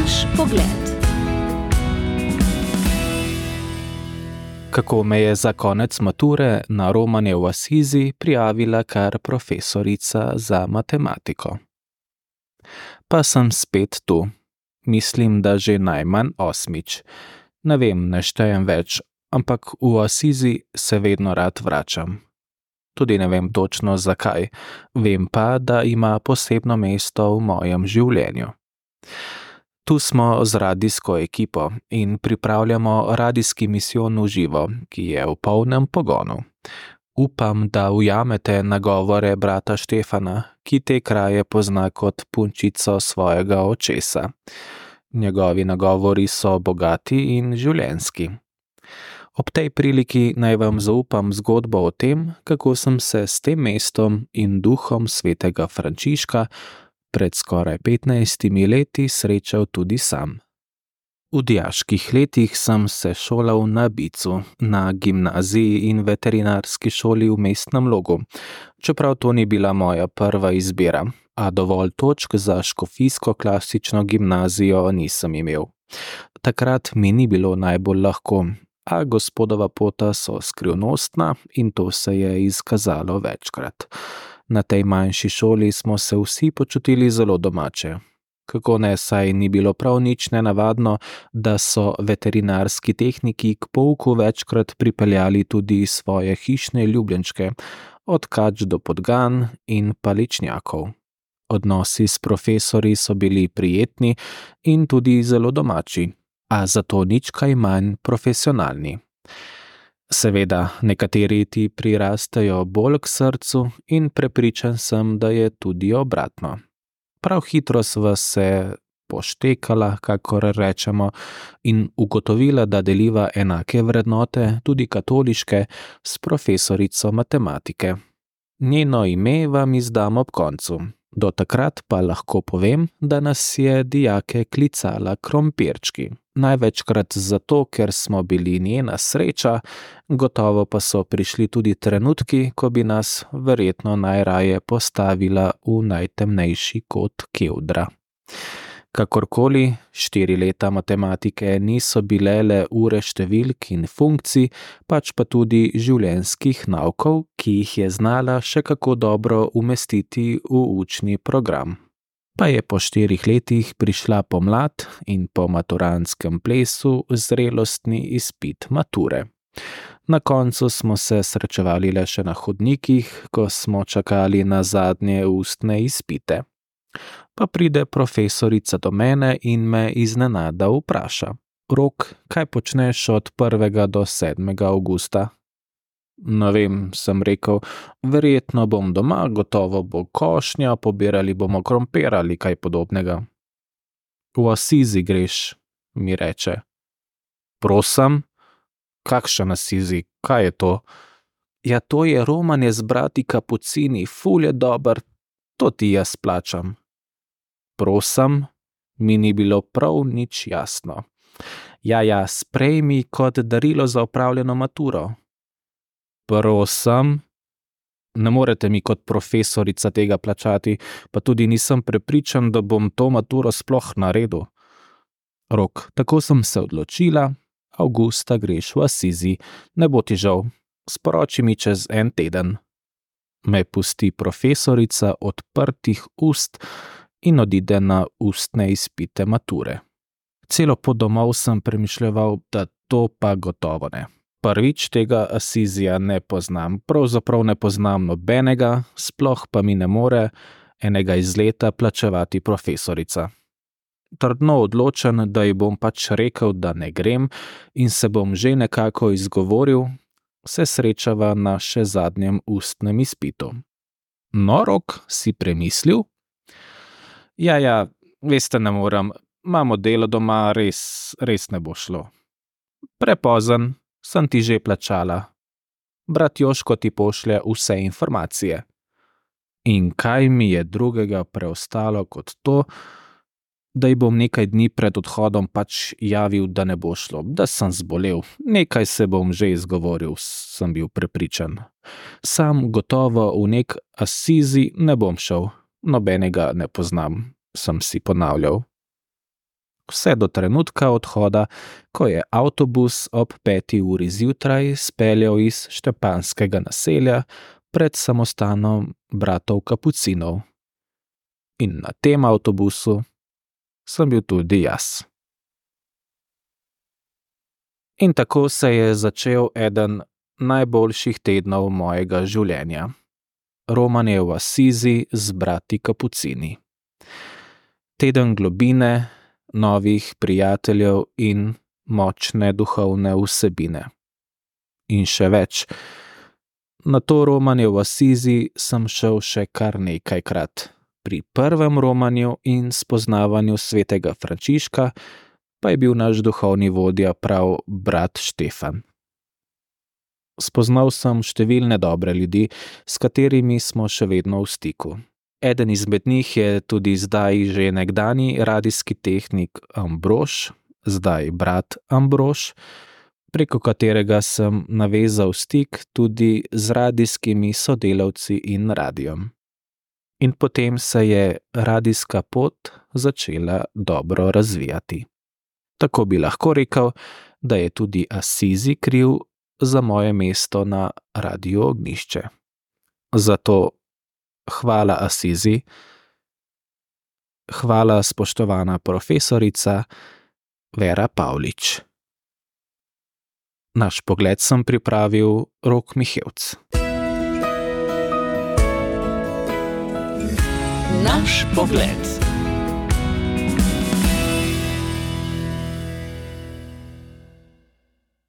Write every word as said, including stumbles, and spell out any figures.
Naš pogled. Kako me je za konec mature na romanje v Asizi prijavila kar profesorica za matematiko. Pa sem spet tu. Mislim, da že najmanj osmič. Ne vem, ne štejem več, ampak v Asizi se vedno rad vračam. Tudi ne vem točno zakaj, vem pa, da ima posebno mesto v mojem življenju. Tu smo z radijsko ekipo in pripravljamo radijski misijon v živo, ki je v polnem pogonu. Upam, da ujamete nagovore brata Štefana, ki te kraje pozna kot punčico svojega očesa. Njegovi nagovori so bogati in življenjski. Ob tej priliki naj vam zaupam zgodbo o tem, kako sem se s tem mestom in duhom svetega Frančiška pred skoraj petnajstimi leti srečal tudi sam. V dijaških letih sem se šolal na Bicu, na gimnaziji in veterinarski šoli v Mestnem Logu, čeprav to ni bila moja prva izbira, a dovolj točk za škofijsko klasično gimnazijo nisem imel. Takrat mi ni bilo najbolj lahko, a gospodova pota so skrivnostna in to se je izkazalo večkrat. Na tej manjši šoli smo se vsi počutili zelo domače. Kako ne, saj ni bilo prav nič nenavadno, da so veterinarski tehniki k pouku večkrat pripeljali tudi svoje hišne ljubljenčke, od kač do podgan in paličnjakov. Odnosi s profesorji so bili prijetni in tudi zelo domači, a zato nič kaj manj profesionalni. Seveda, nekateri ti prirastejo bolj k srcu in prepričan sem, da je tudi obratno. Prav hitro sva se poštekala, kakor rečemo, in ugotovila, da deliva enake vrednote, tudi katoliške, s profesorico matematike. Njeno ime vam izdam ob koncu. Do takrat pa lahko povem, da nas je dijake klicala krompirčki. Največkrat zato, ker smo bili njena sreča, gotovo pa so prišli tudi trenutki, ko bi nas verjetno najraje postavila v najtemnejši kot kevdra. Kakorkoli, štiri leta matematike niso bile le ure številk in funkcij, pač pa tudi življenjskih naukov, ki jih je znala še kako dobro umestiti v učni program. Pa je po štirih letih prišla pomlad in po maturantskem plesu zrelostni izpit mature. Na koncu smo se srečevali le še na hodnikih, ko smo čakali na zadnje ustne izpite. Pa pride profesorica do mene in me iznenada vpraša: Rok, kaj počneš od prvega do sedmega avgusta? Ne vem, sem rekel, verjetno bom doma, gotovo bo košnja, pobirali bomo krompir ali kaj podobnega. V Asizi greš, mi reče. Prosim? Kakšen Asizi, kaj je to? Ja, to je romanje z brati Kapucini, ful je dober, to ti jaz plačam. Prosim, mi ni bilo prav nič jasno. Ja, ja, sprejmi kot darilo za opravljeno maturo. Prosim, ne morete mi kot profesorica tega plačati, pa tudi nisem prepričan, da bom to maturo sploh naredil. Rok, tako sem se odločila, avgusta greš v Asizi, ne bo ti žal, sporoči mi čez en teden. Me pusti profesorica odprtih ust in odide na ustne izpite mature. Celo pot domov sem premišljeval, da to pa gotovo ne. Prvič tega Asizija ne poznam, pravzaprav ne poznam nobenega, sploh pa mi ne more enega izleta plačevati profesorica. Trdno odločen, da ji bom pač rekel, da ne grem in se bom že nekako izgovoril, se srečava na še zadnjem ustnem izpitu. No, Rok, si premislil? Ja, ja, veste, ne morem, imamo delo doma, res, res ne bo šlo. Prepozen, sem ti že plačala. Brat Joško ti pošlje vse informacije. In kaj mi je drugega preostalo kot to, da ji bom nekaj dni pred odhodom pač javil, da ne bo šlo, da sem zbolel. Nekaj se bom že izgovoril, sem bil prepričan. Sam gotovo v nek Asizi ne bom šel, nobenega ne poznam, sem si ponavljal. Vse do trenutka odhoda, ko je avtobus ob peti uri zjutraj speljal iz štepanskega naselja pred samostanom bratov Kapucinov. In na tem avtobusu sem bil tudi jaz. In tako se je začel eden najboljših tednov mojega življenja. Romanje v Asizi z brati Kapucini. Teden globine, novih prijateljev in močne duhovne vsebine. In še več. Na to romanje v Asizi sem šel še kar nekajkrat. Pri prvem romanju in spoznavanju svetega Frančiška pa je bil naš duhovni vodja prav brat Štefan. Spoznal sem številne dobre ljudi, s katerimi smo še vedno v stiku. Eden izmed njih je tudi zdaj že nekdanji radijski tehnik Ambrož, zdaj brat Ambrož, preko katerega sem navezal stik tudi z radijskimi sodelavci in radijem. In potem se je radijska pot začela dobro razvijati. Tako bi lahko rekel, da je tudi Asizi kriv za moje mesto na Radiu Ognjišče. Zato hvala Asizi, hvala spoštovana profesorica Vera Pavlič. Naš pogled sem pripravil Rok Mihevc. Naš pogled.